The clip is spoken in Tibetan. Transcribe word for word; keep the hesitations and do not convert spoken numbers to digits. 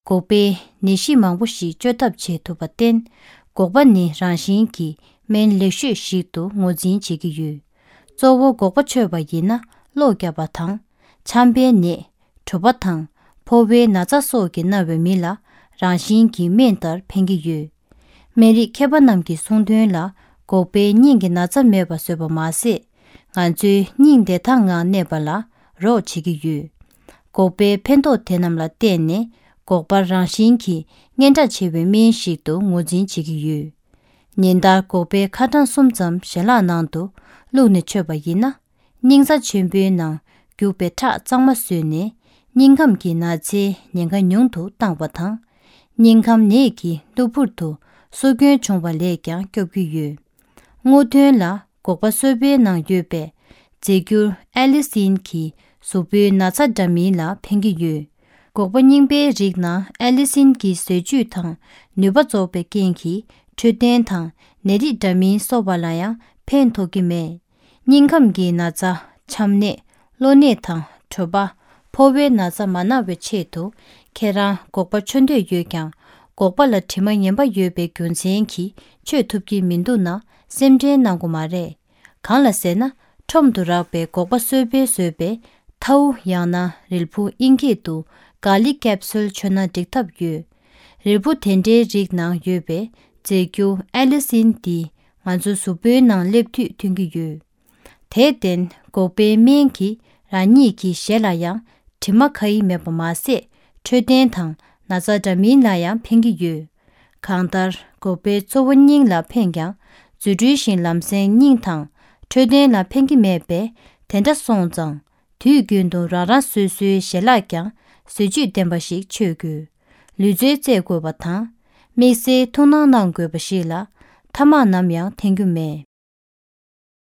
སྒོག་པས་ནད་གཞི་མང་པོ་ཞིག་བཅོས་ཐབས་བྱེད་ཐུབ་པར་བརྟེན། སྒོག་པ་ནི་རང་བཞིན་གྱིས་སྨན་ལེགས་ཤོས་ཤིག་ཏུ་ངོས་འཛིན་བྱེད་ཀྱི་ཡོད། གཙོ་བོ་སྒོག་པ་མཆོད་པ་ཡིན་ན་གློ་བརྒྱབ་པ་དང་། ཆམ་པའི་ནད། དྲོ་པ་དང་། ཕོ་བའི་ན་ཚ་སོགས་ཀྱིས་མནར་བའི་མི་ལ་རང་བཞིན་གྱིས་སྨན་ལྟར་ཕན་གྱི་ཡོད། སྨན་རིགས་མཁས་པ་རྣམས་ཀྱིས་གསུངས་དོན་ལ། སྒོག་པས་སྙིང་གི་ན་ཚ་མེད་པ་བཟོས་པ་མ་ཟད། ང་ཚོའི་སྙིང་བདེ་ཐང་ངང་གནས་པ་ལ་རོགས་བྱེད་ཀྱི་ཡོད། སྒོག་པའི་ཕན་ཐོགས་དེ་རྣམས་ལ་བརྟེན་ནས། སྒོག་པ་རང་བཞིན་གྱིས་སྙན་གྲགས་ཆེ་བའི་སྨན་ཞིག་ཏུ་ངོས་འཛིན་བྱེད་ཀྱི་ཡོད། ཉིན་ལྟར་སྒོག་པའི་ཁ་གྲངས་གསུམ་ཙམ་ཞལ་ལག་ནང་དུ་བླུགས་ནས་མཆོད་པ་ཡིན་ན། སྙིང་རྩ་ཆེན་པོའི་ནང་རྒྱུག་པའི་ཁྲག་གཙང་མ་བཟོས་ནས། སྙིང་ཁམས་ཀྱི་ན་ཚའི་ཉེན་ཁ་ཉུང་དུ་བཏང་བ་དང་། སྙིང་ཁམས་ནད་ཀྱི་གློ་བུར་དུ་སྲོག་སྐྱོན་བྱུང་བ་ལས་ཀྱང་སྐྱོབ་ཀྱི་ཡོད། སྔོ་ཐོན་ལ་སྒོག་པ་སོལ་བའི་ནང་ཡོད་པའི་རྫས་འགྱུར་ཨེ་ལི་སིན་གྱིས་གཟུགས་པོའི་ན་ཚ་འདྲ་མིན་ལ་ཕན་གྱི་ཡོད། སྒོག་པ་རྙིང་པའི་རིགས་ནང་ཨེ་ལི་སིན་གྱི་ཟས་བཅུད་དང་ནུས་པ་རྫོགས་པའི་རྐྱེན་གྱིས་འཕྲོད་བསྟེན་དང་ནད་རིགས་འདྲ་མིན་གསོ་བ་ལ་ཡང་ཕན་ཐོགས་ཀྱི་མེད། སྙིང་ཁམས་ཀྱི་ན་ཚ། ཆམ་ནད། གློ་ནད་དང་དྲོ་པ། ཕོ་བའི་ན་ཚ་མ་ན་བའི་ཆེད་དུ། ཁྱེད་རང་སྒོག་པ་མཆོད་འདོད་ཡོད་ཀྱང་། སྒོག་པ་ལ་དྲི་མ་ངན་པ་ཡོད་པའི་རྒྱུ་མཚན་གྱིས་མཆོད་ཐུབ་ཀྱི་མི་འདུག་ན་སེམས་ཁྲལ་གནང་དགོས་མ་རེད། གང་ལ་ཟེར་ན། ཁྲོམ་དུ་རག་པའི་སྒོག་པ་སོལ་བས་བཟོས་པའི་ཐའུ་ཡང་ན་རིལ་བུ། དབྱིན་སྐད་དུ་གྷར་ལིག་ཀེབ་སུལ་མཆོད་ན་འགྲིག་ཐབས་ཡོད། རིལ་བུ་དེ་འདྲའི་རིགས་ནང་ཡོད་པའི་རྫས་འགྱུར་ཨེ་ལི་སིན་འདིས་ང་ཚོའི་གཟུགས་པོའི་ནང་སླེབས་དུས་ཐོན་གྱི་ཡོད། དེར་བརྟེན་སྒོག་པའི་སྨན་གྱིས་རང་ཉིད་ཀྱི་ཞལ་ལ་ཡང་དྲི་མ་ཁ་ཡི་མེད་པ་མ་ཟད། འཕྲོད་བསྟེན་དང་ན་ཚ་འདྲ་མིན་ལ་ཡང་ཕན་གྱི་ཡོད། གང་ལྟར་སྒོག་པའི་གཙོ་བོ་སྙིང་ལ་ཕན་ཀྱང་། རྫུ་འཕྲུལ་བཞིན་ལམ་སེང་སྙིང་དང་འཕྲོད་བསྟེན་ལ་ཕན་གྱི་མེད་པས། དེ་འདྲ་སོང་ཙང་། དུས་རྒྱུན་དུ་རང་རང་སོ་སོའི་ཞལ་ལག་ཀྱང་ཟས་བཅུད་ལྡན་པ་ཞིག་མཆོད་དགོས། ལུས་རྩལ་རྩེད་དགོས་པ་དང་། དམིགས་བསལ་ཐུགས་སྣང་གནང་དགོས་པ་ཞིག་ལ། ཐ་མག་ནམ་ཡང་འཐེན་རྒྱུ་མེད།